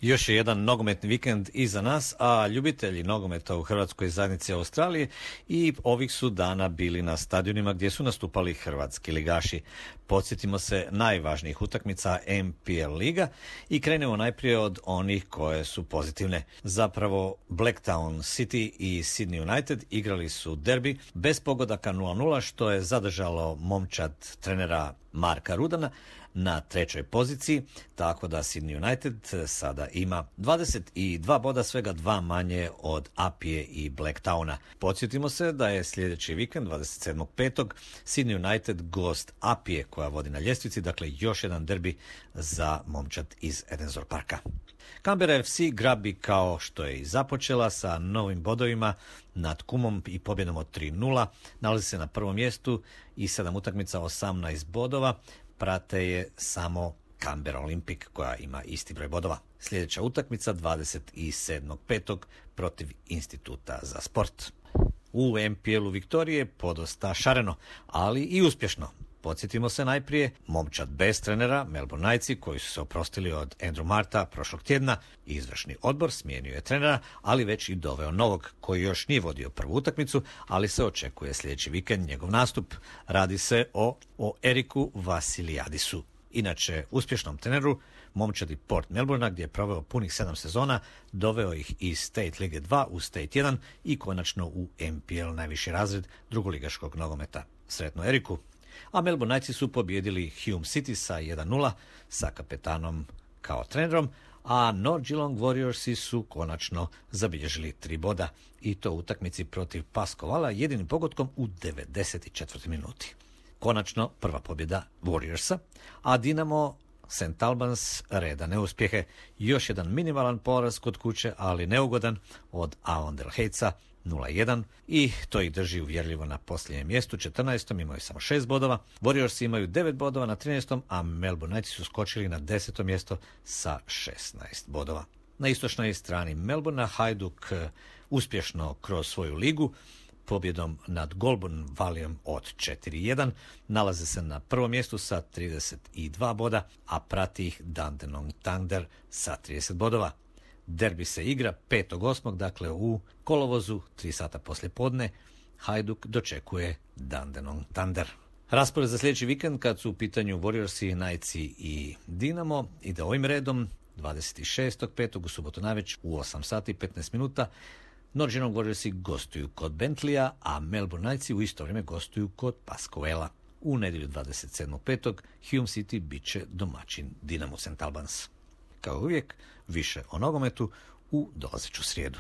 Još je jedan nogometni vikend iza nas, a ljubitelji nogometa u Hrvatskoj zajednici Australije i ovih su dana bili na stadionima gdje su nastupali hrvatski ligaši. Podsjetimo se najvažnijih utakmica NPL liga i krenemo najprije od onih koje su pozitivne. Zapravo Blacktown City i Sydney United igrali su derbi bez pogodaka 0-0 što je zadržalo momčad trenera Marka Rudana na trećoj poziciji, tako da Sydney United sada ima 22 boda, svega 2 manje od Apije i Blacktowna. Podsjetimo se da je sljedeći vikend, 27.5. Sydney United gost Apije koja vodi na ljestvici, dakle još jedan derbi za momčad iz Edensor Parka. Canberra FC grabi kao što je i započela sa novim bodovima nad Kumom i pobjedom od 3-0. Nalazi se na prvom mjestu i 7 utakmica, 18 bodova. Prate je samo Canberra Olympic koja ima isti broj bodova. Sljedeća utakmica 27.5. protiv Instituta za sport. U MPL-u Viktorije podosta šareno, ali i uspješno. Podsjetimo se najprije, momčad bez trenera, Melbourne Knightsi, koji su se oprostili od Andrew Marta prošlog tjedna. Izvršni odbor smijenio je trenera, ali već i doveo novog, koji još nije vodio prvu utakmicu, ali se očekuje sljedeći vikend njegov nastup. Radi se o Eriku Vasilijadisu. Inače, uspješnom treneru, momčadi Port Melbourne, gdje je proveo punih 7 sezona, doveo ih iz State Lige 2 u State 1 i konačno u MPL najviši razred drugoligaškog nogometa. Sretno Eriku! A Melbourne Knightsi su pobijedili Hume City sa 1-0 sa kapetanom kao trenerom, a North Geelong Warriorsi su konačno zabilježili 3 boda i to u utakmici protiv Pascovala jedinim pogodkom u 94. minuti. Konačno prva pobjeda Warriorsa, a Dinamo St. Albans reda neuspjehe. Još jedan minimalan poraz kod kuće, ali neugodan od Avondale Heightsa 0-1 i to ih drži uvjerljivo na posljednjem mjestu, 14. imaju samo 6 bodova. Warriors imaju 9 bodova na 13. a Melbourne Knightsi su skočili na 10. mjesto sa 16 bodova. Na istočnoj strani Melbourne Hajduk uspješno kroz svoju ligu pobjedom nad Goulburn Valleyom od 4-1 nalaze se na prvom mjestu sa 32 boda, a prati ih Dandenong Thunder sa 30 bodova. Derbi se igra 5.8. dakle u kolovozu, 3 sata poslije podne. Hajduk dočekuje Dandenong Thunder. Raspored za sljedeći vikend kad su u pitanju Warriorsi, Knightsi i Dinamo ide ovim redom. 26.5. u subotu navečer u 8 sati i 15 minuta North Geelong Warriorsi gostuju kod Bentleya, a Melbourne Knightsi u isto vrijeme gostuju kod Pascoala. U nedjelju 27.5. Hume City bit će domaćin Dinamo St. Albans. Kao uvijek, više o nogometu u dolazeću srijedu.